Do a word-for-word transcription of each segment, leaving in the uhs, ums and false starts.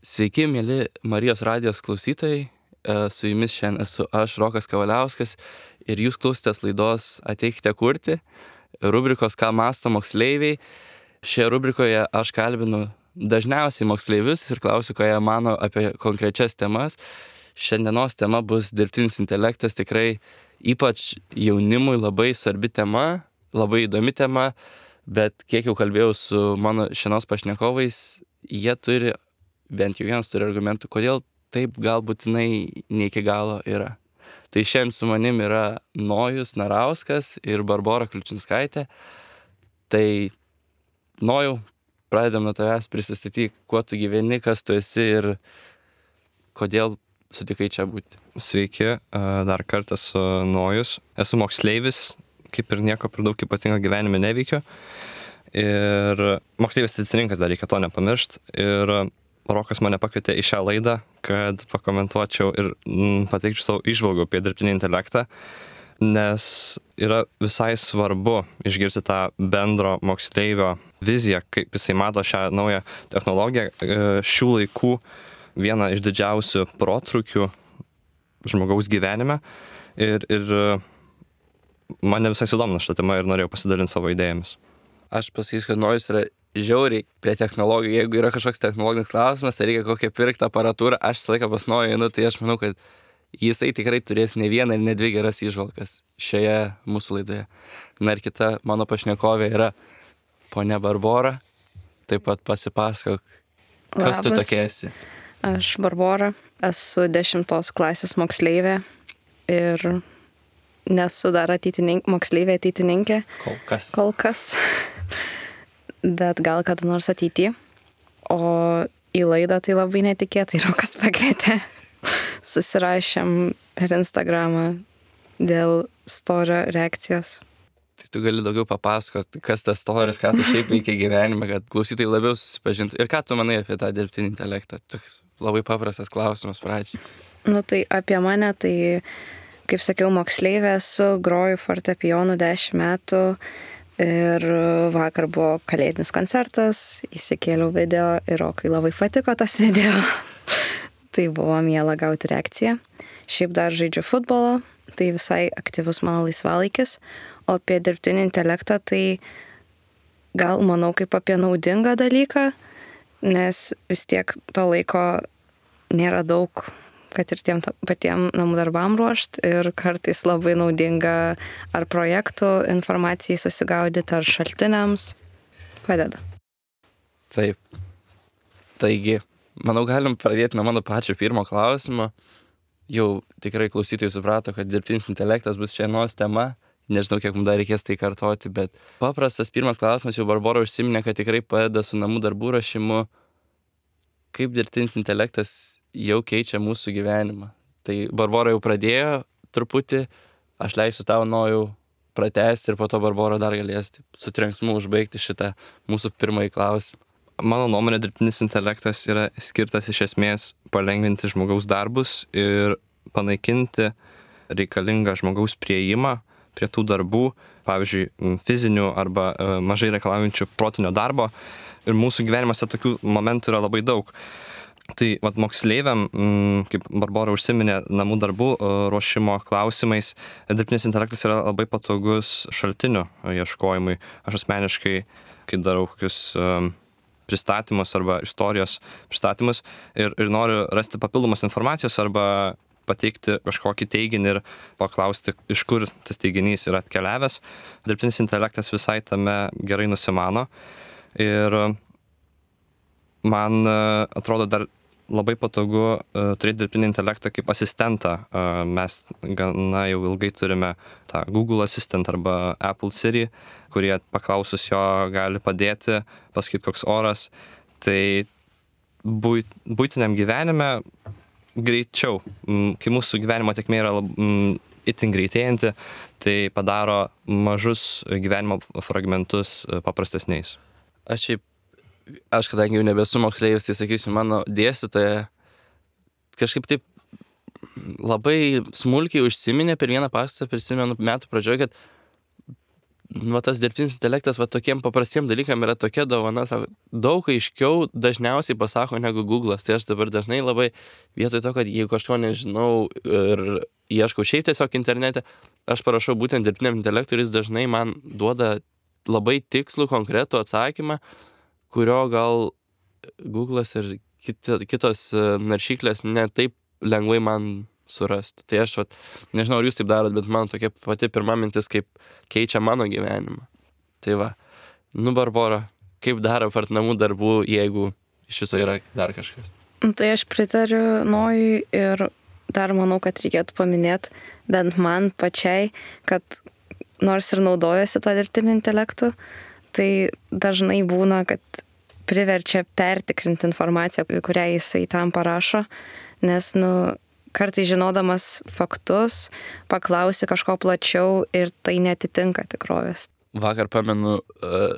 Sveiki, mėly Marijos radijos klausytojai. Su jumis šiandien esu aš, Rokas Kavaliauskas, ir jūs klausotės laidos Ateikite kurti, rubrikos Ką mąsto moksleiviai. Šioje rubrikoje aš kalbinu dažniausiai moksleivius ir klausiu, ką jie mano apie konkrečias temas. Šiandienos tema bus dirbtinis intelektas, tikrai ypač jaunimui labai svarbi tema, labai įdomi tema, bet kiek jau kalbėjau su mano šiandienos pašnekovais, jie turi, bent jau vienas turi argumentų, kodėl taip galbūtinai ne iki galo yra. Tai šiandien su manim yra Nojus Narauskas ir Barbora Kliučinskaitė. Tai Nojau, pradedam nuo tavęs, prisistatyk, kuo tu gyveni, kas tu esi ir kodėl sutikai čia būti. Sveiki, dar kartą esu Nojus. Esu moksleivis, kaip ir nieko per daug ypatingo gyvenime neveikiu. Ir moksleivis teisininkas, dar reikia to nepamiršti. Ir Rokas mane pakvietė į šią laidą, kad pakomentuočiau ir mm, pateikčiau savo įžvalgų apie dirbtinį intelektą, nes yra visai svarbu išgirsti tą bendro moksleivio viziją, kaip jisai mato šią naują technologiją. Šių laikų viena iš didžiausių protrūkių žmogaus gyvenime ir, ir mane visai sudomino šitą temą ir norėjau pasidalinti savo idėjomis. Aš pasakysiu, kad Nojus yra žiauriai prie technologijų. Jeigu yra kažkoks technologinis klausimas, tai reikia kokią pirktą aparatūrą, aš visą laiką pas Nojų einu, tai aš manau, kad jisai tikrai turės ne vieną ir ne dvi geras įžvalgas šioje mūsų laidoje. Na ir kita mano pašnekovė yra ponia Barbora. Taip pat pasipasakok, kas Labas. tu tokia esi. Aš Barbora, esu dešimtos klasės moksleivė ir nesu dar ateitininkė, moksleivė ateitininkė. Kol kas. Kol kas. Bet gal kada nors ateity. O į laidą tai labai netikėtai Rokas pakvietė. Susirašėm per Instagramą dėl storio reakcijos. Tai tu gali daugiau papasakoti, kas tas storis, ką tu šiaip veikia gyvenime, kad klausytojai labiau susipažintų. Ir ką tu manai apie tą dirbtinį intelektą? Toks labai paprastas klausimas pradžiai. Nu tai apie mane, tai kaip sakiau, moksleivė esu, groju fortepijonu dešimt metų. Ir vakar buvo kalėdinis koncertas, įsikėliau video ir Rokai labai patiko tas video. Tai buvo miela gauti reakciją. Šiaip dar žaidžiu futbolą, tai visai aktyvus mano laisvalaikis. O apie dirbtinį intelektą tai gal manau kaip apie naudingą dalyką, nes vis tiek to laiko nėra daug, kad ir tiem patiem namų darbam ruošt ir kartais labai naudinga ar projektų informacijai susigaudyti, ar šaltiniams padeda. Taip. Taigi, manau, galim pradėti nuo mano pačio pirmo klausimo. Jau tikrai klausytojai suprato, kad dirbtinis intelektas bus šiandienos tema. Nežinau, kiek mums dar reikės tai kartoti, bet paprastas pirmas klausimas, jau Barbora užsiminė, kad tikrai padeda su namų darbų rašymu. Kaip dirbtinis intelektas jau keičia mūsų gyvenimą? Tai Barbora jau pradėjo truputį, aš leisiu tau Nojau pratęsti ir po to Barbora dar galės su trenksmu užbaigti šitą mūsų pirmąjį klausimą. Mano nuomonė, dirbtinis intelektas yra skirtas iš esmės palengvinti žmogaus darbus ir panaikinti reikalingą žmogaus priėjimą prie tų darbų, pavyzdžiui, fizinių arba mažai reikalaujančių protinio darbo. Ir mūsų gyvenimuose tokių momentų yra labai daug. Tai vat, moksleiviam, kaip Barbora užsiminė, namų darbų ruošimo klausimais, dirbtinis intelektas yra labai patogus šaltinių ieškojimui. Aš asmeniškai, kai darau kokius pristatymus arba istorijos pristatymus ir, ir noriu rasti papildomos informacijos arba pateikti kažkokį teiginį ir paklausti, iš kur tas teiginys yra atkeliavęs, dirbtinis intelektas visai tame gerai nusimano. Ir man atrodo dar labai patogu uh, turėti dirbtinį intelektą kaip asistentą. Uh, mes gana jau ilgai turime tą Google Assistant arba Apple Siri, kurie paklausus jo gali padėti, pasakyti koks oras. Tai buit, buitiniam gyvenime greičiau, mm, kai mūsų gyvenimo tėkmė yra lab, mm, itin greitėjanti, tai padaro mažus gyvenimo fragmentus paprastesniais. Aš šiaip Aš kadangi jau nebesu moksleivis, tai sakysiu, mano dėstytoja kažkaip taip labai smulkiai užsiminė per vieną paskaitą, prisimenu metų pradžioje, kad va, tas dirbtinis intelektas va, tokiem paprastiem dalykam yra tokia dovana, sako, daug aiškiau dažniausiai pasako negu Google'as. Tai aš dabar dažnai labai vietoj to, kad jeigu kažko nežinau ir ieškau šiaip tiesiog internete, aš parašau būtent dirbtiniam intelektui ir jis dažnai man duoda labai tikslų, konkretų atsakymą, kurio gal Google'as ir kitos naršyklės ne taip lengvai man surastų. Tai aš, vat, nežinau, ar jūs taip darot, bet man tokia pati pirma mintis, kaip keičia mano gyvenimą. Tai va, nu Barbora, kaip dar apart namų darbų, jeigu iš viso yra dar kažkas? Tai aš pritariu Nojui ir dar manau, kad reikėtų paminėti bent man pačiai, kad nors ir naudojasi to dirbtiniu intelektu, tai dažnai būna, kad priverčia pertikrinti informaciją, kurią jisai tam parašo, nes, nu, kartais žinodamas faktus, paklausi kažko plačiau ir tai netitinka tikrovės. Vakar pamenu,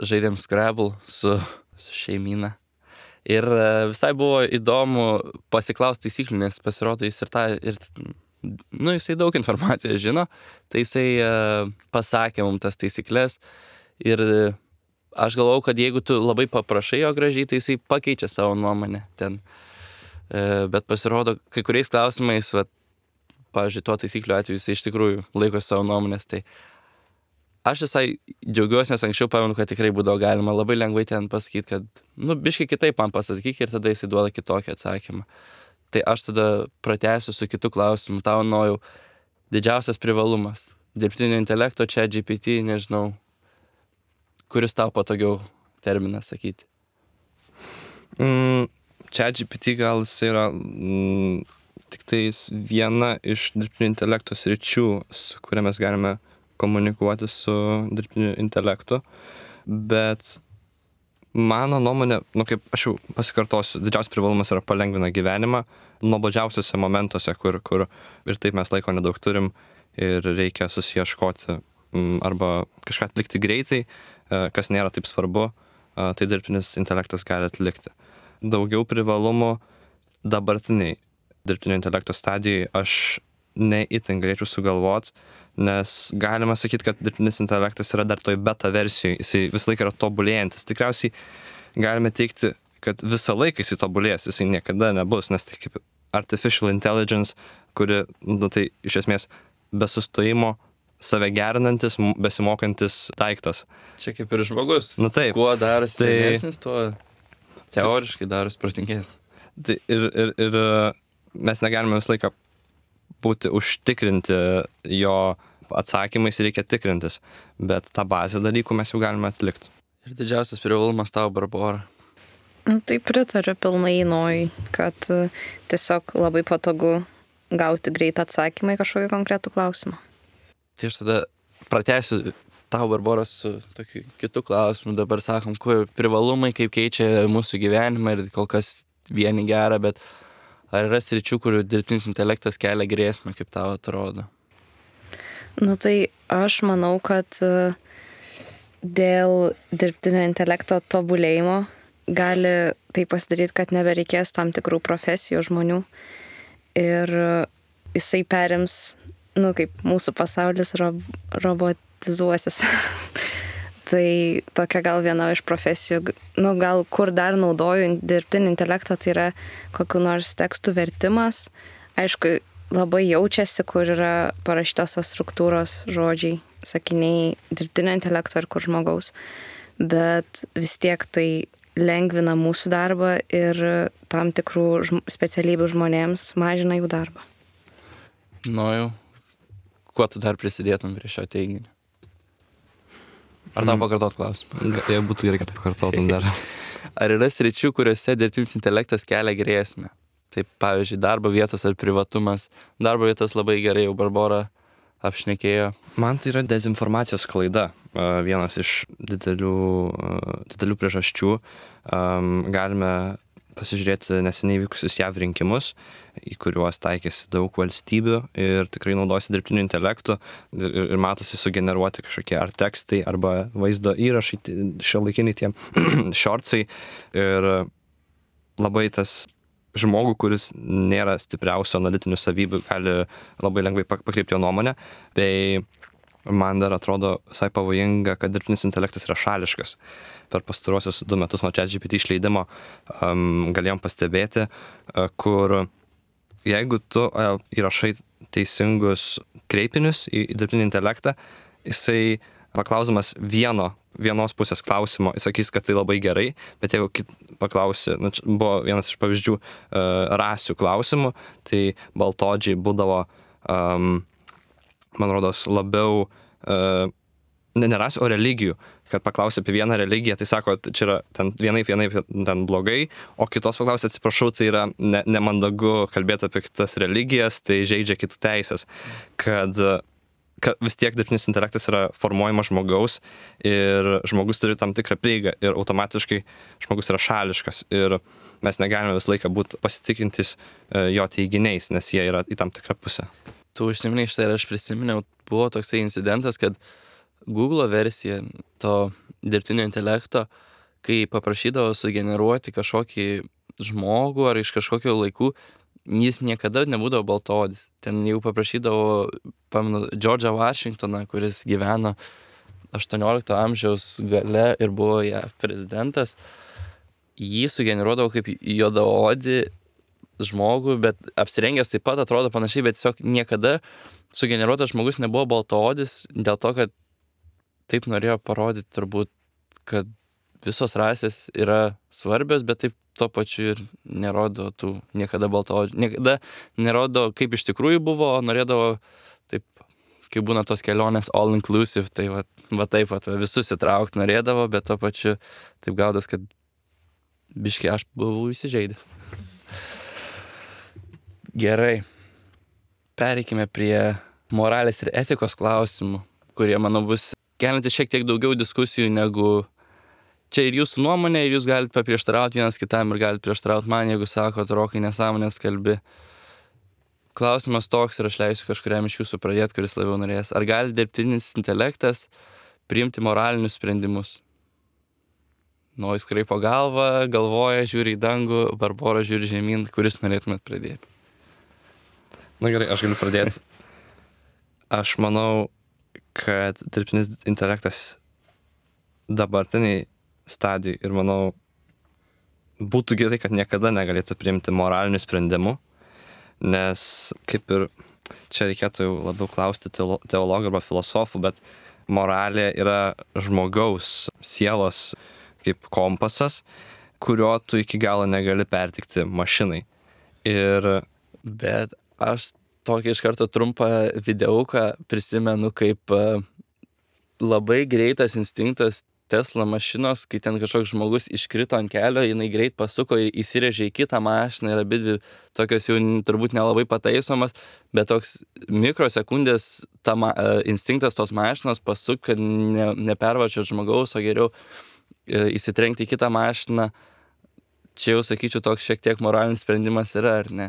žaidėm Scrabble su, su šeimyna. Ir visai buvo įdomu pasiklausti taisyklių, nes pasirodo jis ir tą, ir, nu, jisai daug informacijos žino, tai jisai pasakė mums tas taisyklės ir aš galvau, kad jeigu tu labai paprašai jo gražiai, tai jisai pakeičia savo nuomonę ten. Bet pasirodo, kai kuriais klausimais, va, pavyzdžiui, tuo taisyklių atveju jisai iš tikrųjų laiko savo nuomonės, tai aš visai džiaugiuosi, nes anksčiau pamenu, kad tikrai būdavo galima labai lengvai ten pasakyti, kad, nu, biškai kitaip man pasakyk ir tada jisai duoda kitokį atsakymą. Tai aš tada pratęsiu su kitu klausimu, tau Nojau, didžiausias privalumas dirbtinio intelekto, čia G P T, nežinau, kuris tau patogiau terminas sakyti? Mm, čia G P T gal jis yra mm, tik tai viena iš dirbtinio intelekto sričių, su kuria mes galime komunikuoti su dirbtiniu intelektu, bet mano nuomonė, nu kaip aš jau pasikartosiu, didžiausias privalumas yra palengvina gyvenimą nuobodžiausiuose momentuose, kur, kur ir taip mes laiko nedaug turim ir reikia susiieškoti arba kažką atlikti greitai, kas nėra taip svarbu, tai dirbtinis intelektas gali atlikti. Daugiau privalumų dabartiniai dirbtinio intelekto stadijai aš neįtin galėčiau sugalvoti, nes galima sakyti, kad dirbtinis intelektas yra dar toj beta versijoje, jisai vis laik yra tobulėjantis. Tikriausiai galime teikti, kad visą laiką jisai tobulės, jisai niekada nebus, nes tai kaip artificial intelligence, kuri, nu tai iš esmės be sustojimo save gerinantis, besimokantis daiktas. Čia kaip ir žmogus. Nu taip. Kuo darosi tai, senesnis, tuo teoriškai darosi protingesnis. Tai ir, ir, ir mes negalime visą laiką būti užtikrinti jo atsakymais, reikia tikrintis, bet tą bazės dalykų mes jau galime atlikti. Ir didžiausias privalumas tau, Barbora? Tai pritariu pilnai Nojui, kad tiesiog labai patogu gauti greitą atsakymą į kažkokį konkretų klausimą. Tai aš tada pratęsiu tau, Barbora, su tokiu kitu klausimu. Dabar sakom, kuo privalumai, kaip keičia mūsų gyvenimą ir kol kas vieni gerą, bet ar yra sričių, kur dirbtinis intelektas kelia grėsmę, kaip tau atrodo? Nu tai aš manau, kad dėl dirbtinio intelekto tobulėjimo gali tai pasidaryti, kad nebereikės tam tikrų profesijų žmonių ir jisai perims, nu kaip mūsų pasaulis rob, robotizuosis. Tai tokia gal viena iš profesijų, nu gal kur dar naudoju dirbtinį intelektą, tai yra kokių nors tekstų vertimas. Aišku, labai jaučiasi, kur yra parašytos tos struktūros, žodžiai, sakiniai dirbtinio intelekto ir kur žmogaus. Bet vis tiek tai lengvina mūsų darbą ir tam tikrų žm- specialybių žmonėms mažina jų darbą. Nu jau, kuo tu dar prisidėtum prie šio teiginio? Ar tau pakartot klausimą? Tai būtų gerai, kad pakartotum dar. Ar yra sričių, kuriuose dirbtinis intelektas kelia grėsmę? Taip, pavyzdžiui, darbo vietos ar privatumas. Darbo vietos labai gerai jau Barbora apšnekėjo. Man tai yra dezinformacijos klaida. Vienas iš didelių, didelių priežasčių. Galime pasižiūrėti neseniai vykusius J A V rinkimus, į kuriuos taikėsi daug valstybių ir tikrai naudojasi dirbtiniu intelektu ir, ir matosi sugeneruoti kažkokie ar tekstai arba vaizdo įrašai, šiuolaikiniai tie shortsai ir labai tas žmogų, kuris nėra stipriausio analitinių savybių, gali labai lengvai pakreipti jo nuomonę, bei man dar atrodo visai pavojinga, kad dirbtinis intelektas yra šališkas. Per pastaruosius du metus nuo ChatGPT išleidimo um, galėjom pastebėti, uh, kur jeigu tu uh, įrašai teisingus kreipinius į, į dirbtinį intelektą, jisai paklausimas vieno, vienos pusės klausimo, jis sakys, kad tai labai gerai, bet jeigu kit, paklausi, nu, buvo vienas iš pavyzdžių uh, rasių klausimų, tai baltodžiai būdavo, um, man rodos, labiau, uh, ne, ne rasių, o religijų, kad paklausi apie vieną religiją, tai sako, čia yra ten vienaip, vienaip ten blogai, o kitos paklausi, atsiprašau, tai yra ne, nemandagu kalbėti apie kitas religijas, tai žaidžia kitų teisės, kad kad vis tiek dirbtinis intelektas yra formuojamas žmogaus ir žmogus turi tam tikrą prieigą ir automatiškai žmogus yra šališkas ir mes negalime visą laiką būti pasitikintis jo teiginiais, nes jie yra į tam tikrą pusę. Tu užsiminei štai ir aš prisiminiau, buvo toksai incidentas, kad Google versija to dirbtinio intelekto, kai paprašydavo sugeneruoti kažkokį žmogų ar iš kažkokio laikų, jis niekada nebūdavo baltaodis. Ten jau paprašydavo, pamenu, Džordžą Vašingtoną, kuris gyveno aštuoniolikto amžiaus gale ir buvo jav prezidentas. Jį sugeneruodavo kaip juodaodį žmogų, bet apsirengęs taip pat atrodo panašiai, bet tiesiog niekada sugeneruotas žmogus nebuvo baltaodis dėl to, kad taip norėjo parodyti turbūt, kad visos rasės yra svarbios, bet taip tuo pačiu ir nerodo tų niekada baltaodžių. Niekada nerodo, kaip iš tikrųjų buvo, o norėdavo taip, kaip būna tos kelionės all inclusive, tai va, va taip, va, visus įtraukti norėdavo, bet tuo pačiu taip gaudas, kad biškai aš buvau įsižeidęs. Gerai. Pereikime prie moralės ir etikos klausimų, kurie, manau, bus kelinti šiek tiek daugiau diskusijų negu čia ir jūsų nuomonė, ir jūs galite paprieštarauti vienas kitam ir galite prieštarauti man, jeigu sakot, Rokai, nesąmonės kalbi. Klausimas toks ir aš leisiu kažkuriam iš jūsų pradėti, kuris labiau norės. Ar gali dirbtinis intelektas priimti moralinius sprendimus? Nojus kraipo galvą, galvoja, žiūri į dangų, Barbora žiūri žemyn, kuris norėtumėt pradėti? Na gerai, aš galiu pradėti. Aš manau, kad dirbtinis intelektas dabartiniai stadijai ir manau, būtų gerai, kad niekada negalėtų priimti moralinių sprendimų, nes kaip ir čia reikėtų jau labiau klausti teologų arba filosofų, bet moralė yra žmogaus sielos kaip kompasas, kurio tu iki galo negali pertikti mašinai. Ir... Bet aš tokį iš karto trumpą videuką prisimenu, kaip labai greitas instinktas Tesla mašinos, kai ten kažkoks žmogus iškrito ant kelio, jinai greit pasuko ir įsirėžė į kitą mašiną ir abidvi tokios jau turbūt nelabai pataisomas, bet toks mikrosekundės ta ma, instinktas tos mašinos pasuk, kad ne, nepervažiuot žmogaus, o geriau e, įsitrenkti į kitą mašiną. Čia jau sakyčiau, toks šiek tiek moralinis sprendimas yra, ar ne?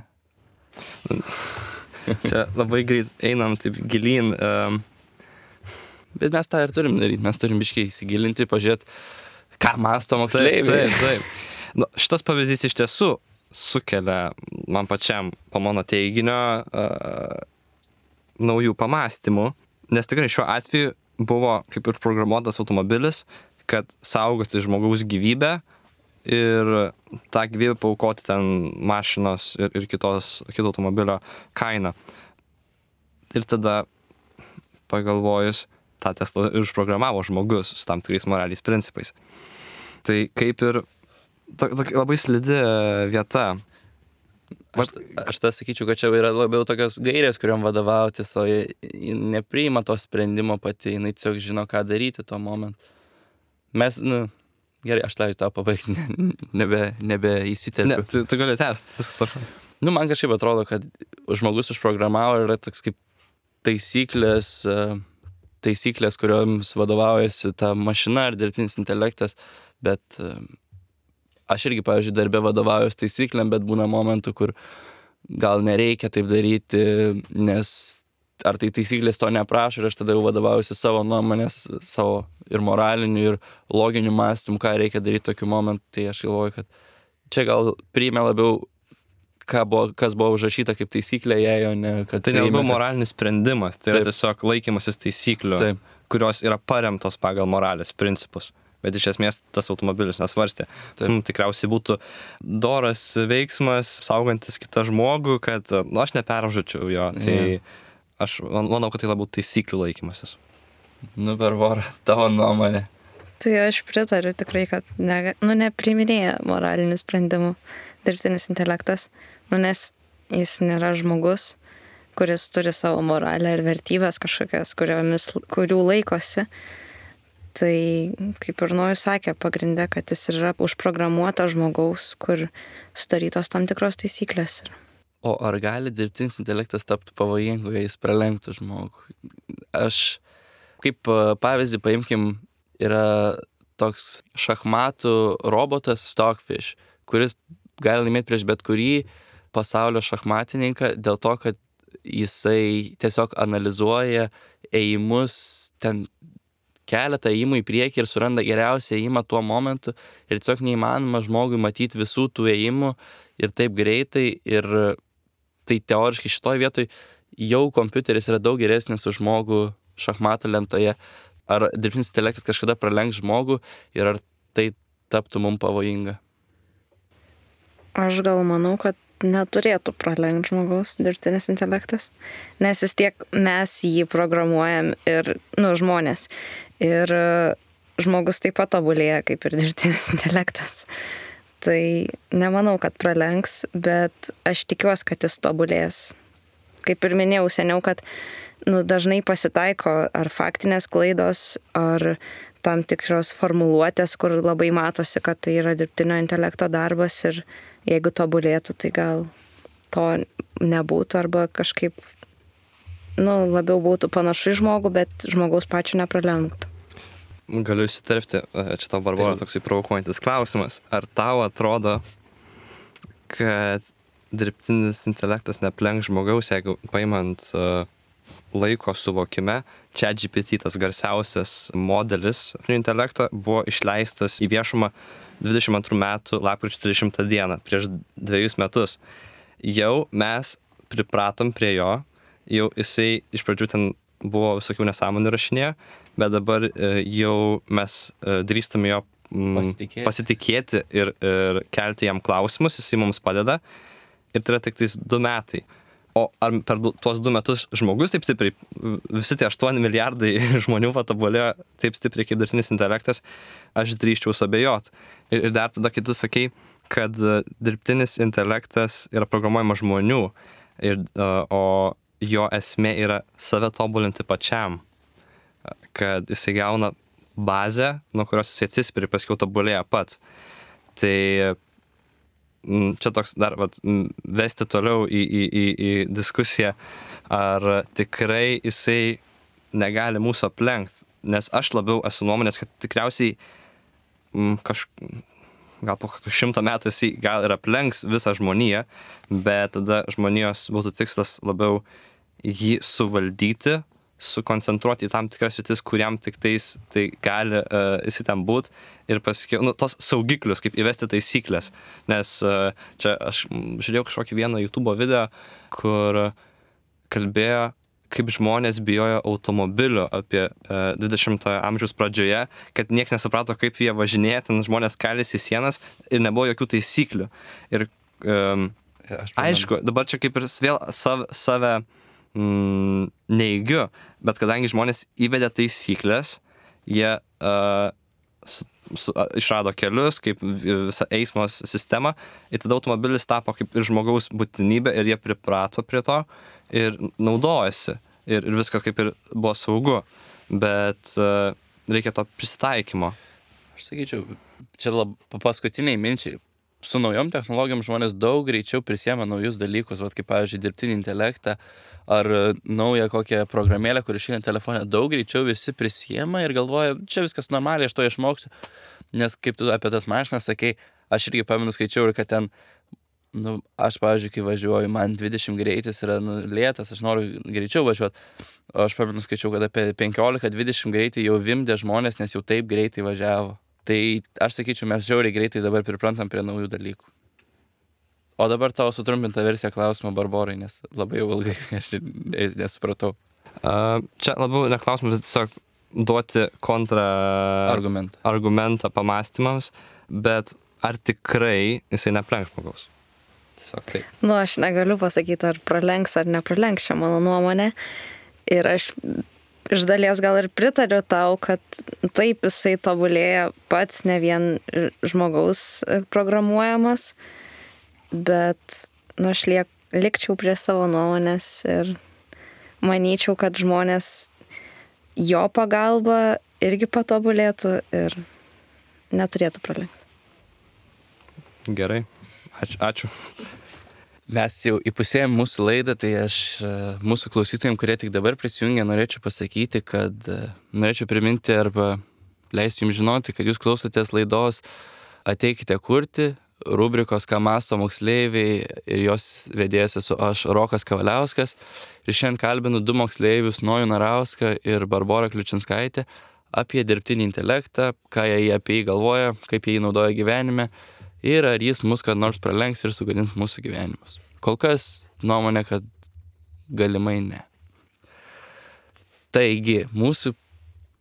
Čia labai greit einam taip gilyn. Um... Bet mes tą ir turim daryti, mes turim biškiai įsigilinti, pažiūrėti, ką mąsto moksleiviai. Taip, taip, taip. Nu, šitas pavyzdys iš tiesų sukelia man pačiam po mano teiginio uh, naujų pamastymų, nes tikrai šiuo atveju buvo kaip ir programuotas automobilis, kad saugoti žmogaus gyvybę ir tą gyvybę paaukoti ten mašinos ir, ir kitos, kito automobilio kainą. Ir tada pagalvojus, tą Tesla ir užprogramavo žmogus su tam tikrais moraliais principais. Tai kaip ir to, to, labai slidi vieta. Aš, aš tą sakyčiau, kad čia yra labiau tokios gairės, kuriuom vadovautis, o ji nepriima to sprendimo pati, jinai tiesiog žino, ką daryti tuo momentu. Mes, nu, gerai, aš leidžiu tą pabaigti, nebe, nebe įsiterpiu. Ne, tu, tu gali tęsti. Nu, man kažkaip atrodo, kad žmogus užprogramavo ir yra toks kaip taisyklės, taisyklės, kurioms vadovaujasi ta mašina ar dirbtinis intelektas, bet aš irgi, pavyzdžiui, darbė vadovaujuosi taisyklėm, bet būna momentų, kur gal nereikia taip daryti, nes ar tai taisyklės to neprašo ir aš tada jau vadovaujuosi savo nuomonės, savo ir moraliniu, ir loginiu mąstymu, ką reikia daryti tokiu momentu, tai aš galvoju, kad čia gal priėmė labiau, ką buvo, kas buvo užrašyta kaip taisyklė, jei jo ne... Kad Tai nelabai priėmė, kad- moralinis sprendimas, tai yra Taip. tiesiog laikymasis taisyklių, Taip. kurios yra paremtos pagal moralės principus. Bet iš esmės tas automobilis nesvarstė. Hmm, tikriausiai būtų doras veiksmas, saugantis kitą žmogų, kad nu, aš nepervažiuočiau jo. Tai aš man- manau, kad tai labiau taisyklių laikymasis. Nu, per vorą, tavo nuomonė. Tai aš pritariu tikrai, kad ne, nu, nepriminėja moralinių sprendimų dirbtinis intelektas, nu, nes jis nėra žmogus, kuris turi savo moralę ir vertybės kažkokias, kuriomis, kurių laikosi. Tai, kaip ir Nojus sakė, pagrindė, kad jis yra užprogramuotas žmogaus, kur sudarytos tam tikros taisyklės. O ar gali dirbtinis intelektas tapti pavojingu, jei jis pralenktų žmogų? Aš, kaip e, pavyzdį paimkim, yra toks šachmatų robotas Stockfish, kuris gali laimėti prieš bet kurį pasaulio šachmatininką dėl to, kad jisai tiesiog analizuoja ėjimus, ten keletą ėjimų į priekį ir suranda geriausią ėjimą tuo momentu ir tiesiog neįmanoma žmogui matyti visų tų ėjimų ir taip greitai ir tai teoriškai šitoj vietoj jau kompiuteris yra daug geresnis už žmogų šachmatų lentoje. Ar dirbtinis intelektas kažkada pralenks žmogų ir ar tai taptų mums pavojinga? Aš gal manau, kad neturėtų pralenkti žmogaus dirbtinis intelektas, nes vis tiek mes jį programuojam ir, nu, žmonės. Ir žmogus taip pat tobulėja kaip ir dirbtinis intelektas. Tai nemanau, kad pralenks, bet aš tikiuosi, kad jis tobulės. Kaip ir minėjau seniau, kad nu, dažnai pasitaiko ar faktinės klaidos, ar tam tikros formuluotės, kur labai matosi, kad tai yra dirbtinio intelekto darbas ir jeigu tobulėtų, tai gal to nebūtų arba kažkaip nu, labiau būtų panašu į žmogų, bet žmogaus pačio nepralenktų. Galiu įsiterpti, čia tau Barbora toksai provokuojantis klausimas. Ar tau atrodo, kad dirbtinis intelektas neplenks žmogaus, jeigu paimant uh, laiko suvokime, ChatGPT, tas garsiausias modelis intelekto, buvo išleistas į viešumą dvidešimt antrų metų lapkričio trisdešimtą dieną, prieš dviejus metus. Jau mes pripratom prie jo, jau jisai iš pradžių ten buvo visokių nesąmonių rašinėjo, bet dabar jau mes drįstame jo Pasitikėti. pasitikėti ir, ir kelti jam klausimus, jisai mums padeda. Ir tai yra tik tais du metai. O ar per tuos du metus žmogus taip stipriai, visi tie aštuoni milijardai žmonių patobulėjo taip stipriai kaip dirbtinis intelektas, aš drįsčiau suabejot. Ir, ir dar tada, kai tu sakei, kad dirbtinis intelektas yra programuojamas žmonių, ir, o jo esmė yra save tobulinti pačiam, kad jisai gauna bazę, nuo kurios jisai atsispiri, paskiau tobulėja pats. Tai čia toks dar vat, vesti toliau į, į, į, į diskusiją, ar tikrai jisai negali mūsų aplenkti. Nes aš labiau esu nuomonės, kad tikriausiai m, kaž, gal po šimto metų jisai gal ir aplenks visą žmoniją, bet tada žmonijos būtų tikslas labiau jį suvaldyti, sukoncentruoti į tam tikras sritis, kuriam tik tais tai gali uh, jisai ten būt ir paskiau, nu, tos saugiklius, kaip įvesti taisyklės. Nes uh, čia aš žiūrėjau kažkokį vieną YouTube video, kur kalbėjo, kaip žmonės bijojo automobilių apie uh, dvidešimtojo amžiaus pradžioje, kad niekas nesuprato, kaip jie važinėja, ten žmonės kalėsi į sienas ir nebuvo jokių taisyklių. Ir um, aišku, dabar čia kaip ir vėl save, save Mm, neigiu, bet kadangi žmonės įvedė taisyklės, jie uh, su, su, uh, išrado kelius, kaip visą eismo sistemą, ir tada automobilis tapo kaip ir žmogaus būtinybė ir jie priprato prie to ir naudojasi ir, ir viskas kaip ir buvo saugu, bet uh, reikia to prisitaikymo. Aš sakyčiau, čia lab, paskutiniai minčiai. Su naujom technologijom žmonės daug greičiau prisiema naujus dalykus, vat, kaip, pavyzdžiui, dirbtinį intelektą ar naują kokią programėlę, kuri išeina telefone, daug greičiau visi prisiema ir galvoja, čia viskas normaliai, aš to išmoksiu. Nes kaip tu apie tas mašinas sakai, aš irgi pamenu skaičiau ir kad ten, nu, aš, pavyzdžiui, kai važiuoju, man dvidešimt greitis yra nu, lėtas, aš noriu greičiau važiuoti. O aš pamenu skaičiau, kad apie penkiolika dvidešimt greitį jau vimdė žmonės, nes jau taip greitai važiavo. Tai aš sakyčiau, mes žiauriai greitai dabar priprantam prie naujų dalykų. O dabar tavo sutrumpinta versija klausimo Barborai, nes labai jau ilgai aš nesupratau. Uh, čia labiau ne klausimas, bet tiesiog duoti kontra Argumentą. argumentą pamastymams, bet ar tikrai jisai neaplenks žmogaus? Tiesiog taip. Nu, aš negaliu pasakyti, ar pralenks ar nepralenks, čia mano nuomonė. Ir aš iš dalies gal ir pritariu tau, kad taip jisai tobulėja pats, ne vien žmogaus programuojamas, bet nu, aš liek, likčiau prie savo nuomonės ir manyčiau, kad žmonės jo pagalba irgi patobulėtų ir neturėtų pralenkti. Gerai, ačiū. ačiū. Mes jau įpusėjom mūsų laidą, tai aš mūsų klausytojams, kurie tik dabar prisijungia, norėčiau pasakyti, kad norėčiau priminti arba leisti jums žinoti, kad jūs klausotės laidos Ateikite kurti, rubrikos Ką mąsto moksleiviai ir jos vedėjas esu aš, Rokas Kavaliauskas. Ir šiandien kalbinu du moksleivius, Nojų Narauską ir Barborą Kliučinskaitę, apie dirbtinį intelektą, ką jie apie jį galvoja, kaip jie jį naudoja gyvenime ir ar jis mus kad nors pralenks ir sugadins mūsų gyvenimus. Kol kas nuomonė, kad galimai ne. Taigi, mūsų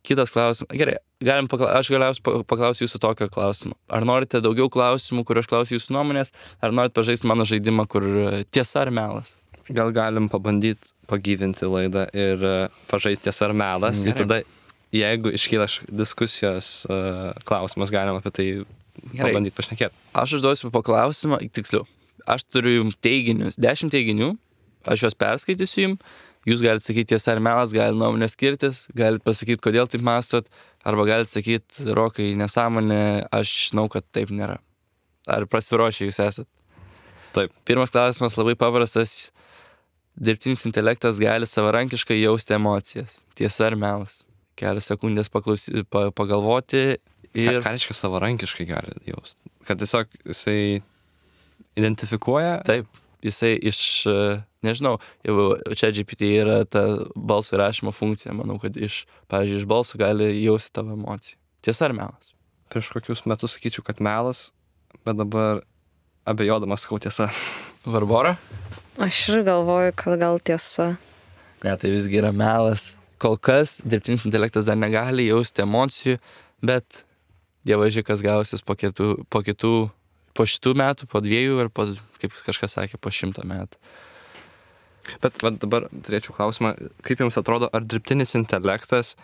kitas klausimas. Gerai, galim pakla... aš galiausiai paklausiu jūsų tokio klausimo. Ar norite daugiau klausimų, kur aš klausiu jūsų nuomonės, ar norite pažaisti mano žaidimą, kur tiesa ar melas? Gal galim pabandyti pagyvinti laidą ir pažaisti tiesa ar melas. Gerai. Ir tada, jeigu iškyla diskusijos uh, klausimas, galim apie tai pabandyti pašnekėti. Aš užduosiu paklausimą, tiksliau, aš turiu jums teiginius, dešimt teiginių, aš juos perskaitysiu jums, jūs galite sakyti tiesa ar melas, galite nuomonę skirtis, galite pasakyti, kodėl taip mąstot, arba galite sakyti, Rokai, nesąmonė, aš žinau, kad taip nėra. Ar prasiruošę jūs esat? Taip. Pirmas klausimas labai paprastas. Dirbtinis intelektas gali savarankiškai jausti emocijas. Tiesa ar melas? Kelias sekundės paklausy, pa, pagalvoti. Ir... Ką, ką reiškia savarankiškai gali jausti? Kad tiesiog jisai identifikuoja? Taip, jisai iš, nežinau, jau čia G P T yra ta balso įrašymo funkcija, manau, kad iš, pavyzdžiui, iš balso gali jausti tavo emociją. Tiesa ar melas? Prieš kokius metus sakyčiau, kad melas, bet dabar abejodamas sakau tiesa. Barbora? Aš ir galvoju, kad gal tiesa. Ne, tai visgi yra melas. Kol kas dirbtinis intelektas dar negali jausti emocijų, bet dievaži, kas gausis po kitų, po kitų, po šitų metų, po dviejų ir po, kaip kažkas sakė, po šimto metų. Bet va, dabar turėčiau klausimą, kaip jums atrodo, ar dirbtinis intelektas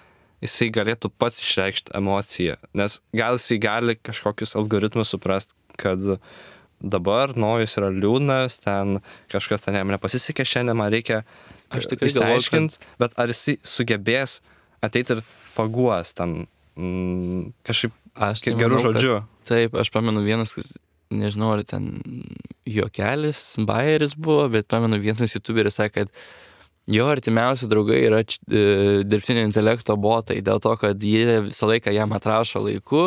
jisai galėtų pats išreikšti emociją? Nes gal jisai gali kažkokius algoritmus suprast, kad dabar Nojus yra liūdnas, ten kažkas ten jam nepasisekė šiandien, man reikia išsiaiškinti, kad... bet ar jisai sugebės ateiti ir paguos ten mm, kažkaip aš tai gerų manau, žodžių? Kad, taip, aš pamenu vienas, nežinau, ar ten juokelis, bajeris buvo, bet pamenu vienas youtuberis sakė, kad jo artimiausi draugai yra č, e, dirbtinio intelekto botai, dėl to, kad jie visą laiką jam atrašo laiku,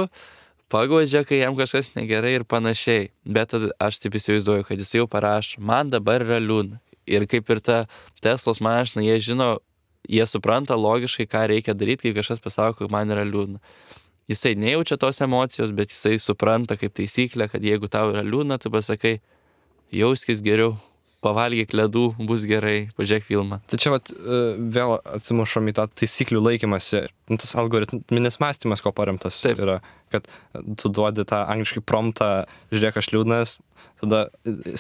paguodžia, kai jam kažkas negerai ir panašiai. Bet aš taip įsivaizduoju, kad jis jau parašo, man dabar yra liūdna. Ir kaip ir ta Teslos mašina, jie žino, jie supranta logiškai, ką reikia daryti, kai kažkas pasako, kad man yra liūdna. Jisai nejaučia tos emocijos, bet jisai supranta kaip taisyklę, kad jeigu tau yra liūdna, tu pasakai, jauskis geriau, pavalgyk ledų, bus gerai, pažiūrėk filmą. Tai čia vat, vėl atsimušom į tą taisyklių laikymąsi. Tas algoritminis mąstymas, ko paremtas Taip. yra, kad tu duodi tą angliškai promptą, žiūrėk, aš liūdnas, tada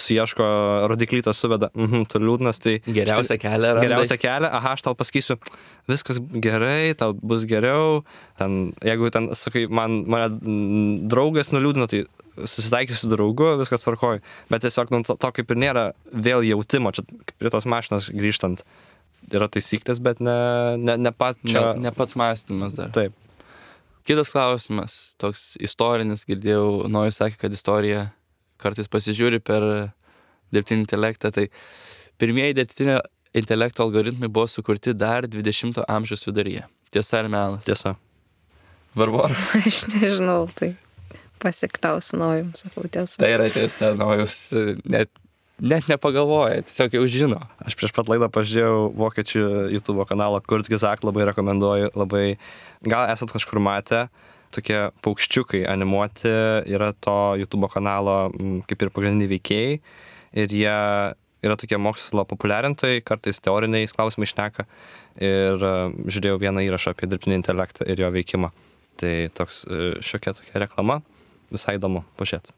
suieško rodiklytą suveda, mhm, tu liūdnas, tai... Geriausią kelią randai. Geriausią kelią, aha, aš tau pasakysiu, viskas gerai, tau bus geriau, ten, jeigu ten, sakai, man, mane draugas nuliūdino, tai susitaikysiu su draugu, viskas tvarkoju, bet tiesiog nu, to, to kaip ir nėra vėl jautimo, čia prie tos mašinos grįžtant, yra taisyklės, bet ne, ne, ne pat čia... Ne, ne pats mąstymas dar. Taip. Kitas klausimas, toks istorinis, girdėjau, Nojus sakė, kad istorija kartais pasižiūri per dirbtinį intelektą, tai pirmieji dirbtinio intelekto algoritmai buvo sukurti dar dvidešimto amžiaus viduryje. Tiesa ar melas? Tiesa. Barbora? Aš nežinau, tai pasikliausiu Nojum, sakau tiesa. Tai yra tiesa, Nojus net, net nepagalvoja, tiesiog jau žino. Aš prieš pat laidą pažiūrėjau vokiečių YouTube kanalą Kurzgesagt, labai rekomenduoju, labai, gal esat kažkur matę, tokie paukščiukai animuoti yra to YouTube kanalo kaip ir pagrindiniai veikėjai ir jie yra tokie mokslo populiarintojai, kartais teoriniais klausimais šneka ir uh, žiūrėjau vieną įrašą apie dirbtinį intelektą ir jo veikimą. Tai toks uh, šiokia tokia reklama, visai įdomu pažiūrėti.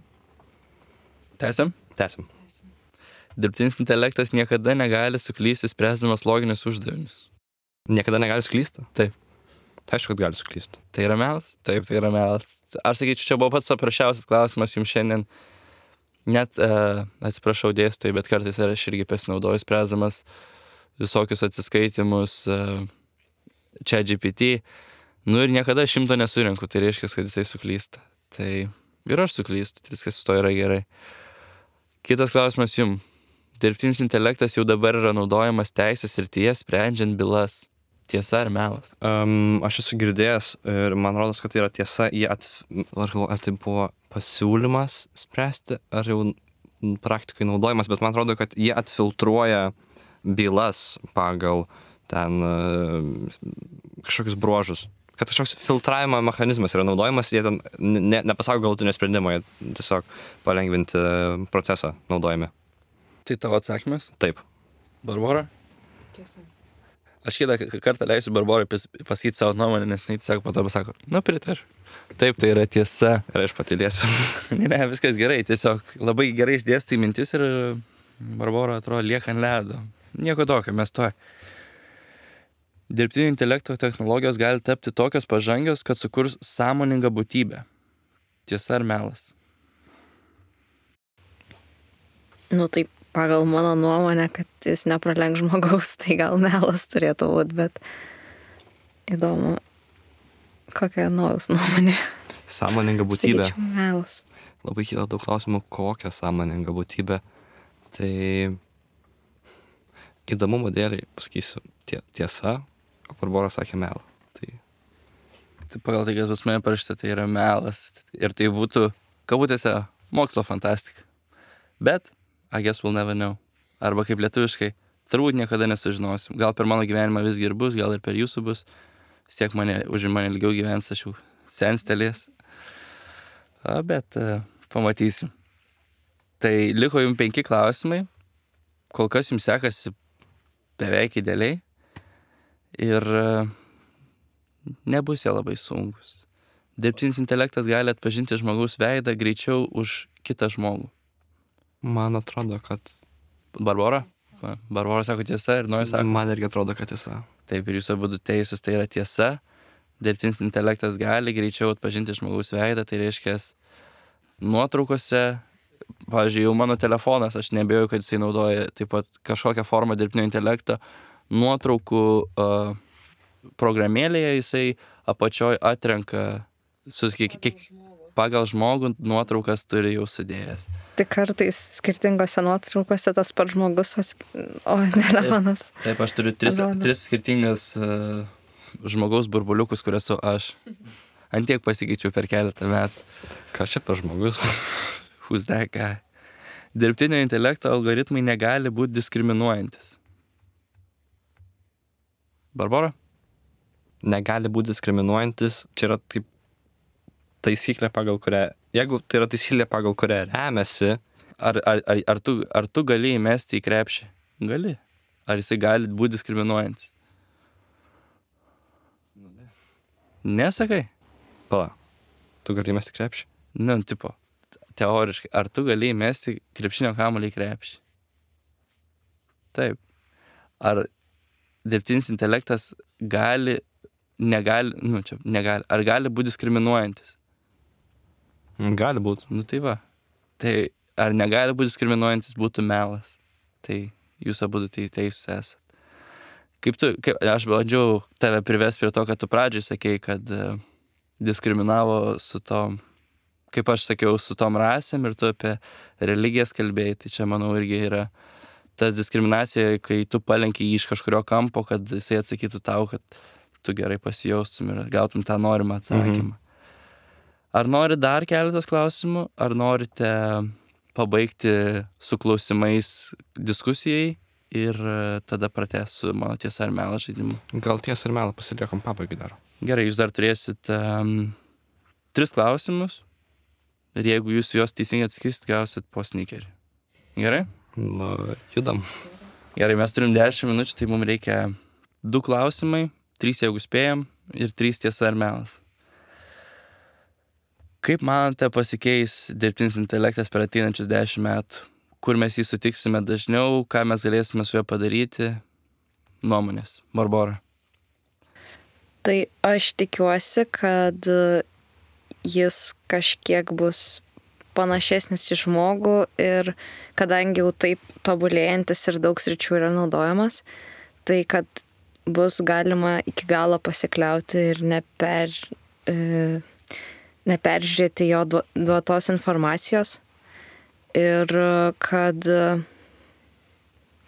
Tęsiam? Tęsim. Dirbtinis intelektas niekada negali suklysti spręsdamas loginius uždavinius. Niekada negali suklysti? Taip. Tai aišku, kad gali suklysti. Tai yra melas? Taip, tai yra melas. Aš sakyčiau, čia buvo pats paprasčiausias klausimas jums šiandien. Net, uh, atsiprašau dėstytojai, bet kartais aš irgi pasinaudoju spręsdamas visokius atsiskaitimus uh, ChatGPT. Nu ir niekada šimto nesurinku, tai reiškia, kad jisai suklysta. Tai ir aš suklystu, viskas su to yra gerai. Kitas klausimas jums. Dirbtinis intelektas jau dabar yra naudojamas teisės srityje sprendžiant bylas. Tiesa ar melas? Um, aš esu girdėjęs ir man rodos, kad tai yra tiesa. Jie at... Ar, ar tai buvo pasiūlymas spręsti, ar jau praktikai naudojimas, bet man atrodo, kad jie atfiltruoja bylas pagal ten uh, kažkokius bruožus. Kad kažkoks filtravimo mechanizmas yra naudojamas, jie ten ne, nepasako galutinio sprendimo, jie tiesiog palengvinti procesą naudojami. Tai tavo atsakymas? Taip. Barbora? Tiesa. Aš kitą kartą leisiu Barborai pasakyti savo nuomonę, nes jis tiesiog po to pasako, nu pritariu. Taip, tai yra tiesa. Ir aš patylėsiu. ne, ne, viskas gerai, tiesiog labai gerai išdėstai mintis ir Barbora atrodo lieka ant ledo. Nieko tokio, mes to. Dirbtinio intelekto technologijos gali tapti tokios pažangios, kad sukurs sąmoningą būtybę. Tiesa ar melas? Nu taip, pagal mano nuomonę, kad jis nepralenk žmogaus, tai gal melas turėtų būti, bet įdomu, kokia naujus nuomonė. Sąmoninga būtybė. Sakyčiau, melas. Labai kyla daug klausimų, kokią sąmoningą būtybę. Tai įdomumo dėliai pasakysiu tie, tiesa, o Barbora sakė melą. Tai... tai pagal tai, kad pas mane parašyta, tai yra melas. Ir tai būtų, kabutėse, mokslo fantastika. Bet I guess we'll never know. Arba kaip lietuviškai, turbūt niekada nesužinosim. Gal per mano gyvenimą visgi ir bus, gal ir per jūsų bus. Vis tiek mane, už mane ilgiau gyvens, aš jau senstelės. A, bet uh, pamatysim. Tai liko jums penki klausimai. Kol kas jums sekasi beveik idealiai. Ir uh, nebus jie labai sunkus. Dirbtinis intelektas gali atpažinti žmogaus veidą greičiau už kitą žmogų. Man atrodo, kad... Barbora? Barbora sako tiesa ir Nojus sako. Man irgi atrodo, kad tiesa. Taip, ir jūs abu teisūs, tai yra tiesa. Dirbtinis intelektas gali greičiau atpažinti žmogaus veidą, tai reiškia nuotraukose, pavyzdžiui, jau mano telefonas, aš nebejoju, kad jisai naudoja taip pat kažkokią formą dirbtinio intelekto, nuotraukų uh, programėlėje jisai apačioj atrenka su, kiek, kiek, pagal žmogų nuotraukas turi jau sudėjęs. Tik kartais skirtingose nuotraukose tas pats žmogus, o telefonas. Taip, taip, aš turiu tris, tris skirtingas uh, žmogaus burbuliukus, kur esu aš. Antiek pasikeičiau per keletą metų. Ką čia per žmogus? Who's that guy? Dirbtinio intelekto algoritmai negali būti diskriminuojantis. Barbora? Negali būti diskriminuojantis. Čia yra taip taisyklė, pagal kurią... Jeigu tai yra taisyklė, pagal kurią remiasi... Ar, ar, ar, ar, tu, ar tu gali įmesti į krepšį? Gali. Ar jisai gali būti diskriminuojantis? Nesakai? Pala, tu gali įmesti krepšį? Nu, tipo, teoriškai. Ar tu gali įmesti krepšinio kamuolį į krepšį? Taip. Ar dirbtinis intelektas gali, negali, nu čia, negali, ar gali būti diskriminuojantis? Gali būti. Nu tai va. Tai ar negali būti diskriminuojantis būtų melas? Tai jūs abu tai teisūs esat. Kaip tu, kaip, aš bandžiau tave privesti prie to, kad tu pradžiai sakei, kad uh, diskriminavo su tom, kaip aš sakiau, su tom rasėm ir tu apie religijas kalbėjai. Tai čia, manau, irgi yra tas diskriminacija, kai tu palenki jį iš kažkurio kampo, kad jisai atsakytų tau, kad tu gerai pasijaustum ir gautum tą norimą atsakymą. Mhm. Ar nori dar keletas klausimų, ar norite pabaigti su klausimais diskusijai ir tada pratęsiu mano tiesa ar melą žaidimu? Gal tiesa ir melą pasiliekam pabaigai dar. Gerai, jūs dar turėsit um, tris klausimus ir jeigu jūs juos teisingai atsakysit, gausit po sneakerį. Gerai? Nu, judam. Gerai, mes turim dešimt minučių, tai mums reikia du klausimai, trys jeigu spėjom ir trys tiesa ar melas. Kaip manote pasikeis dirbtinis intelektas per ateinančius dešimt metų? Kur mes jį sutiksime dažniau, ką mes galėsime su juo padaryti? Nuomonės. Barbora. Tai aš tikiuosi, kad jis kažkiek bus panašesnis į žmogų ir kadangi jau taip tobulėjantis ir daug sričių yra naudojamas, tai kad bus galima iki galo pasikliauti ir neper, e, neperžiūrėti jo duotos informacijos ir kad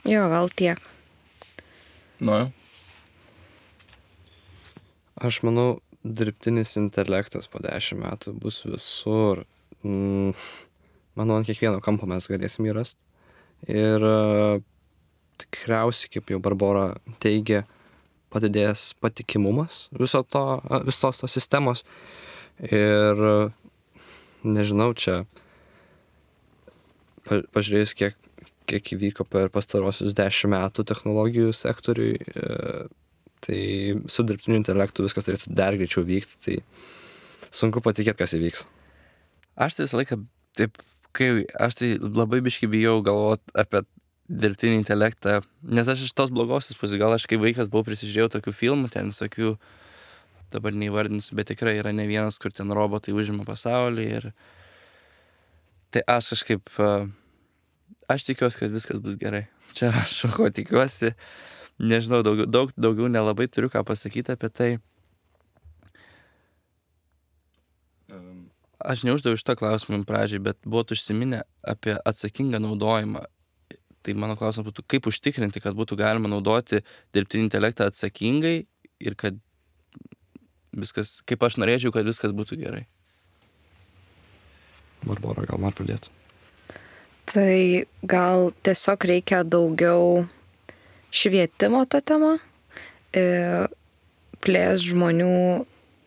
jo, gal tiek. Nu. Aš manau, dirbtinis intelektas po dešimt metų bus visur. Mm, manau, ant kiekvieno kampo mes galėsim jį rasti. Ir uh, tikriausiai, kaip jau Barbora teigia, padidės patikimumas viso to, visos tos sistemos. Ir uh, nežinau, čia pa, pažiūrėjus, kiek, kiek įvyko per pastarosius dešimt metų technologijų sektoriui, uh, tai su dirbtiniu intelektu viskas turėtų dar greičiau vykti, tai sunku patikėti, kas įvyks. Aš tai visą laiką, taip, kai aš tai labai biškai bijau galvoti apie dirbtinį intelektą, nes aš iš tos blogosios pusės, gal aš kai vaikas buvau prisižiūrėjau tokių filmų, ten visokių, dabar neįvardinsiu, bet tikrai yra ne vienas, kur ten robotai užima pasaulį ir tai aš kažkaip, aš tikiuosi, kad viskas bus gerai. Čia aš ko tikiuosi, nežinau, daugiau, daug, daugiau nelabai turiu ką pasakyti apie tai. Aš neuždaviau šitą klausimą pradžiai, bet buvot užsiminę apie atsakingą naudojimą. Tai mano klausimas būtų, kaip užtikrinti, kad būtų galima naudoti dirbtinį intelektą atsakingai ir kad viskas, kaip aš norėčiau, kad viskas būtų gerai. Barbora, gal man pradėtų? Tai gal tiesiog reikia daugiau švietimo tą temą, plės žmonių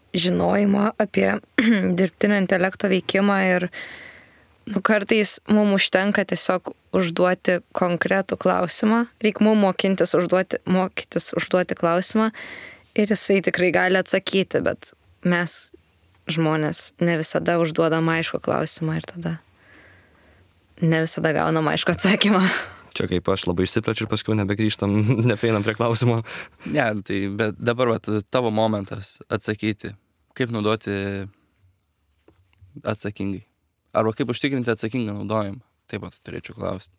žinojimą apie dirbtinio intelekto veikimą ir nu, kartais mums užtenka tiesiog užduoti konkretų klausimą, reikia mums mokintis užduoti, mokytis užduoti klausimą ir jisai tikrai gali atsakyti, bet mes žmonės ne visada užduodam aišku klausimą ir tada ne visada gaunam aišku atsakymą. Čia kaip aš labai išsiplečiu ir paskui nebegrįžtam, neprieinam prie klausimo. Ne, tai bet dabar vat, tavo momentas atsakyti, kaip naudoti atsakingai. Arba kaip užtikrinti atsakingą naudojimą. Taip pat turėčiau klausti.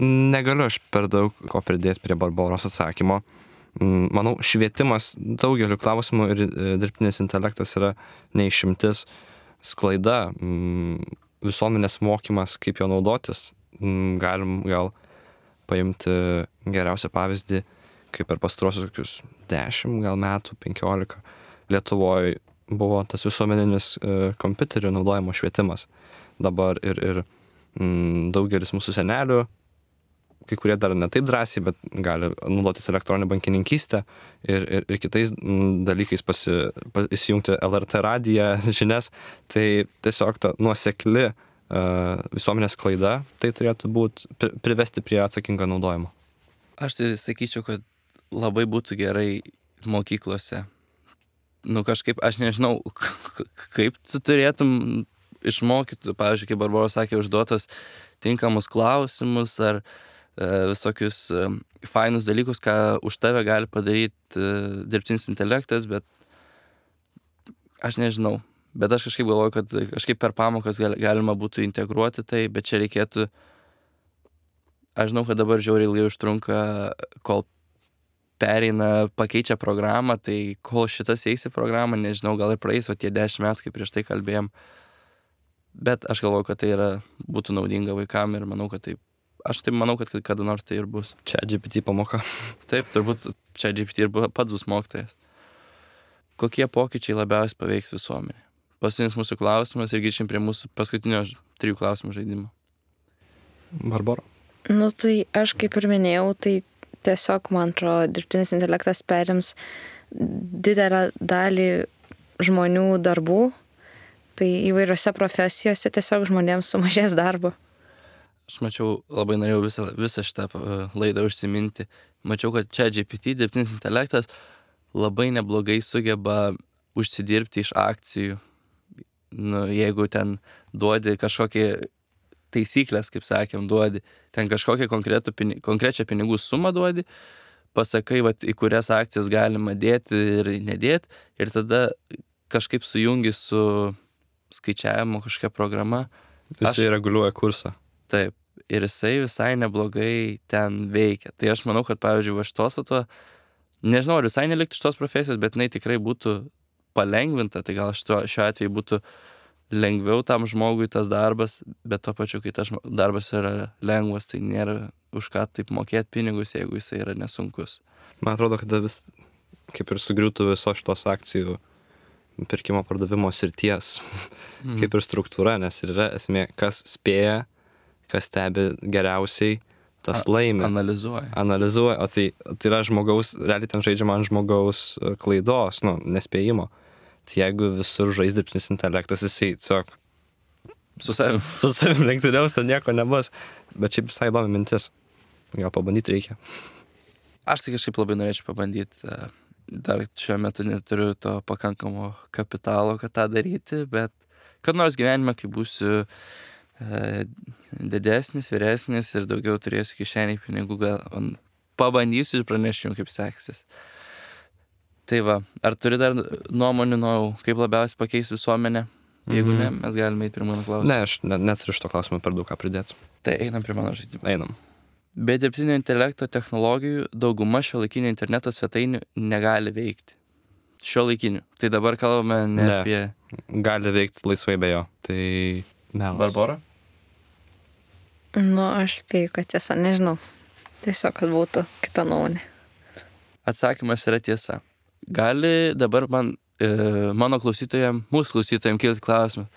Negaliu aš per daug ko pridėti prie Barboros atsakymo. Manau, švietimas daugeliu klausimų ir dirbtinis intelektas yra neišimtis. Sklaida, visuomenės mokymas, kaip jo naudotis. Galim gal paimti geriausią pavyzdį, kaip per pastarosius kokius dešimt gal metų, penkiolika Lietuvoje buvo tas visuomeninis kompiuterių naudojimo švietimas. Dabar ir, ir m, daugelis mūsų senelių, kai kurie dar ne taip drąsiai, bet gali naudotis elektroninę bankininkystę ir, ir, ir kitais m, dalykais pasi, pas, įsijungti L R T radiją, žinias. Tai tiesiog ta nuosekli visuomenės klaida, tai turėtų būti privesti prie atsakingo naudojimo. Aš tai sakyčiau, kad labai būtų gerai mokyklose. Nu kažkaip, aš nežinau, kaip tu turėtum išmokyti, pavyzdžiui, kaip Barbora sakė, užduotas tinkamus klausimus ar e, visokius e, fainus dalykus, ką už tave gali padaryti e, dirbtinis intelektas, bet aš nežinau. Bet aš kažkaip galvoju, kad kažkaip per pamokas galima būtų integruoti tai, bet čia reikėtų, aš žinau, kad dabar žiauriai ilgai užtrunka, kol pereina, pakeičia programą, tai kol šitas eis į programą, nežinau, gal ir praeis, o tie dešimt metų, kaip prieš tai kalbėjom. Bet aš galvoju, kad tai yra, būtų naudinga vaikam ir manau, kad taip, aš taip manau, kad kada nors tai ir bus. ChatGPT pamoka. Taip, turbūt ChatGPT ir pats bus mokytojas. Kokie pokyčiai labiausiai paveiks visuomenę? Paskutinis mūsų klausimas ir grįžim prie mūsų paskutinio trijų klausimų žaidimo. Barbora? Nu tai aš kaip ir minėjau, tai tiesiog, man atrodo, dirbtinis intelektas perims didelę dalį žmonių darbų, tai įvairiose profesijose tiesiog žmonėms sumažės darbo. aš mačiau, labai norėjau visą, visą šitą uh, laidą užsiminti. Mačiau, kad ChatGPT, dirbtinis intelektas, labai neblogai sugeba užsidirbti iš akcijų. Nu, jeigu ten duodi kažkokį taisyklės, kaip sakėm, duodi, ten kažkokią pini, konkrečią pinigų sumą duodi, pasakai, vat, į kurias akcijas galima dėti ir nedėti, ir tada kažkaip sujungi su skaičiavimo kažkokia programa. Jisai aš... reguliuoja kursą. Taip, ir jisai visai neblogai ten veikia. Tai aš manau, kad, pavyzdžiui, va šitos atva, nežinau, ar visai nelikti šitos profesijos, bet jinai tikrai būtų palengvinta, tai gal šito, šiuo atveju būtų lengviau tam žmogui tas darbas, bet to pačiu, kai tas darbas yra lengvas, tai nėra už ką taip mokėti pinigus, jeigu jisai yra nesunkus. Man atrodo, kad vis, kaip ir sugriūtų visos šitos akcijų pirkimo pardavimo srities, mm. kaip ir struktūra, nes yra esmė, kas spėja, kas stebi geriausiai, tas A, laimi. Analizuoja. Analizuoja, o tai, tai yra žmogaus, realiai ten žaidžiama ant žmogaus klaidos, nu, nespėjimo. Tai jeigu visur žais dirbtinis intelektas, jisai tiesiog su savim, su savim lenktyniaus, ten nieko nebus. Bet šiaip visai įdomi mintis. Gal pabandyti reikia. Aš tai kažkaip labai norėčiau pabandyti. Dar šiuo metu neturiu to pakankamo kapitalo, kad tą daryti, bet kad nors gyvenime, kai būsiu e, didesnis, vyresnis ir daugiau turėsiu kišeniai pinigų, gal pabandysiu ir pranešiu jums, kaip seksis. Tai va, ar turi dar nuomonių, nu, kaip labiausiai pakeis visuomenę? Jeigu mm-hmm. ne, mes galime eiti prie mano klausimą. Ne, aš ne, neturiu šito klausimo per daug ką pridėti. Tai einam prie mano žaidimo. Einam. Be dirbtinio intelekto technologijų dauguma šiuolaikinio interneto svetainių negali veikti. Šiuolaikinių. Tai dabar kalbame ne, ne apie... Gali veikti laisvai be jo. Tai melas. Barbora? Nu, aš spėju, kad tiesa, nežinau. Tiesiog, kad būtų kita nuomonė. Atsakymas yra tiesa. Gali dabar man, e, mano klausytojams, mūsų klausytojams kilti klausimą,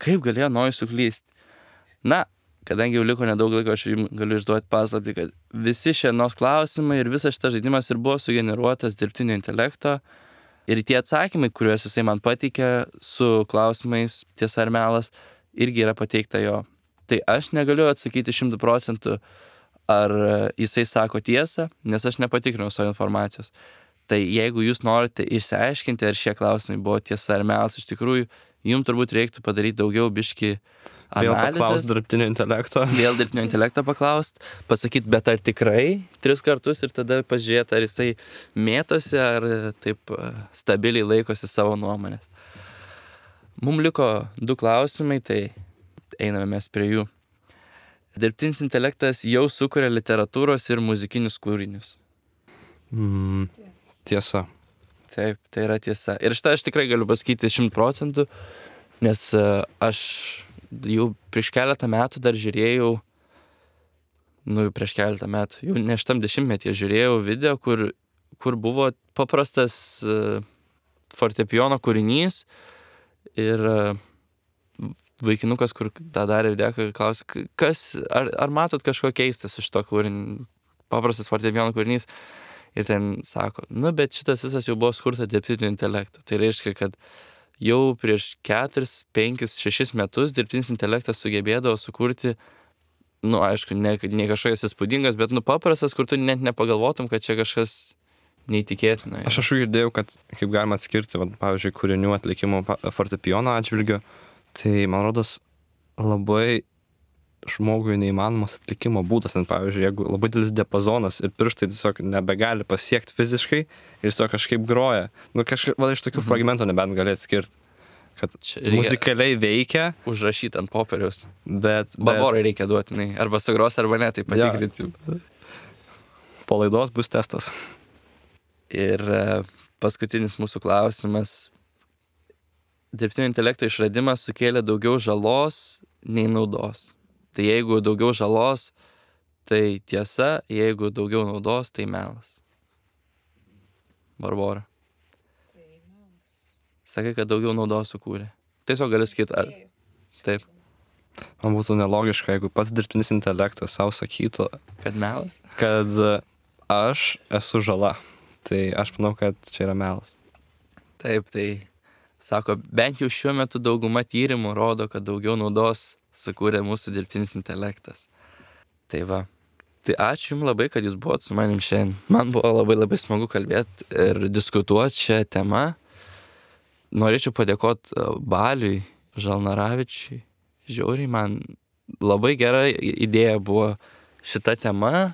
kaip galėjo Nojus suklysti? Na, kadangi jau liko nedaug laiko, aš jums galiu išduoti paslaptį, kad visi šiandienos klausimai ir visas šitas žaidimas ir buvo sugeneruotas dirbtinio intelekto ir tie atsakymai, kuriuos jisai man pateikė su klausimais tiesa ar melas, irgi yra pateikta jo. Tai aš negaliu atsakyti šimtų procentų, ar jisai sako tiesą, nes aš nepatikrinau savo informacijos. Tai jeigu jūs norite išsiaiškinti, ar šie klausimai buvo tiesa ar melas, iš tikrųjų, jums turbūt reiktų padaryti daugiau biški analizės. Vėl paklaust dirbtinio intelekto. Vėl dirbtinio intelekto paklaust, pasakyti, bet ar tikrai tris kartus ir tada pažiūrėti, ar jisai mėtosi, ar taip stabiliai laikosi savo nuomonės. Mums liko du klausimai, tai einame mes prie jų. Dirbtinis intelektas jau sukuria literatūros ir muzikinius kūrinius. Mm, tiesa. Taip, tai yra tiesa. Ir šitą aš tikrai galiu pasakyti šimtų procentų, nes aš jau prieš keletą metų dar žiūrėjau, nu jau prieš keletą metų, jau ne šitam dešimtmetyje žiūrėjau video, kur, kur buvo paprastas uh, fortepijono kūrinys ir uh, vaikinukas, kur tą darė video, klausė, kas, ar, ar matot kažko keistas iš to kūrinį, paprastas fortepijono kūrinys. Ir ten sako, nu bet šitas visas jau buvo skurta dirbtinio intelekto. Tai reiškia, kad jau prieš keturis, penkis, šešis metus dirbtinis intelektas sugebėdavo sukurti, nu aišku, ne, ne kažkokias įspūdingas, bet nu paprastas, kur tu net nepagalvotum, kad čia kažkas neįtikėtina. Aš aš girdėjau, kad kaip galima atskirti, va, pavyzdžiui, kūrinių atlikimo fortepijono atžvilgiu, tai man rodos labai žmogui neįmanomas atlikimo būdas, net pavyzdžiui, jeigu labai didelis diapazonas ir pirštai tiesiog nebegali pasiekti fiziškai ir tiesiog kažkaip groja. Nu, kažkaip, va, iš tokių mhm. fragmentų nebent gali atskirti, kad muzikaliai veikia. Užrašyti ant popieriaus. Bet... Barborai reikia duoti, nei, arba sugros, arba ne, tai patikrinsim. Ja. Po laidos bus testas. Ir paskutinis mūsų klausimas. Dirbtinio intelekto išradimas sukėlė daugiau žalos nei naudos. Tai jeigu daugiau žalos, tai tiesa, jeigu daugiau naudos, tai melas. Barbora. Tai melas. Sakai, kad daugiau naudos sukūrė. Tiesiog gali sakyti, ar... Taip. Man būtų nelogiška, jeigu pats dirbtinis intelektas savo sakytų, kad melas, kad aš esu žala. Tai aš manau, kad čia yra melas. Taip, tai sako, bent jau šiuo metu dauguma tyrimų rodo, kad daugiau naudos sukūrė mūsų dirbtinis intelektas. Tai va. Tai ačiū Jums labai, kad Jūs buvot su manim šiandien. Man buvo labai labai smagu kalbėti ir diskutuoti šią temą. Norėčiau padėkoti Baliui Žalnaravičiui. Žiauriai, man labai gera idėja buvo šita tema.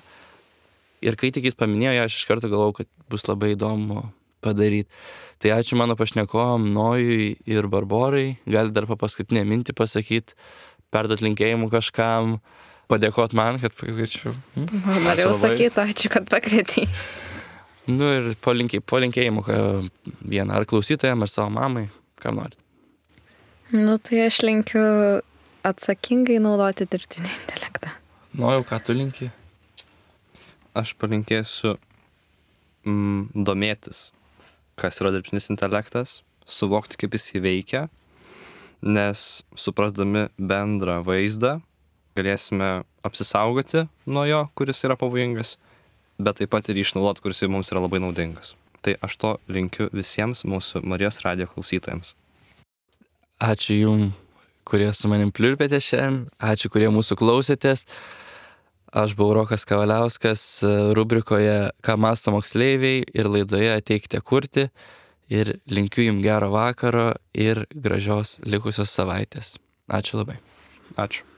Ir kai tik jis paminėjo, aš iš karto galvojau, kad bus labai įdomu padaryti. Tai ačiū mano pašnekovam Nojui ir Barborai. Gali dar po paskutinę mintį pasakyti, perduot linkėjimų kažkam, padėkot man, kad pakviečiu. Hmm? Norėjau sakyti, ačiū, kad pakvietei. Nu ir po, linkė, po linkėjimų vieną, ar klausytojam, ar savo mamai, kam nori. Nu tai aš linkiu atsakingai naudoti dirbtinį intelektą. Nojau, ką tu linki? Aš palinkėsiu mm, domėtis, kas yra dirbtinis intelektas, suvokti, kaip jis įveikia, nes suprasdami bendrą vaizdą galėsime apsisaugoti nuo jo, kuris yra pavojingas, bet taip pat ir išnaudoti, kuris mums yra labai naudingas. Tai aš to linkiu visiems mūsų Marijos radijo klausytojams. Ačiū Jums, kurie su manim pliurpėte šiandien, ačiū, kurie mūsų klausėtės. Aš buvau Rokas Kavaliauskas rubrikoje Ką mąsto moksleiviai ir laidoje Ateikite kurti ir linkiu Jums gero vakaro ir gražios likusios savaitės. Ačiū labai. Ačiū.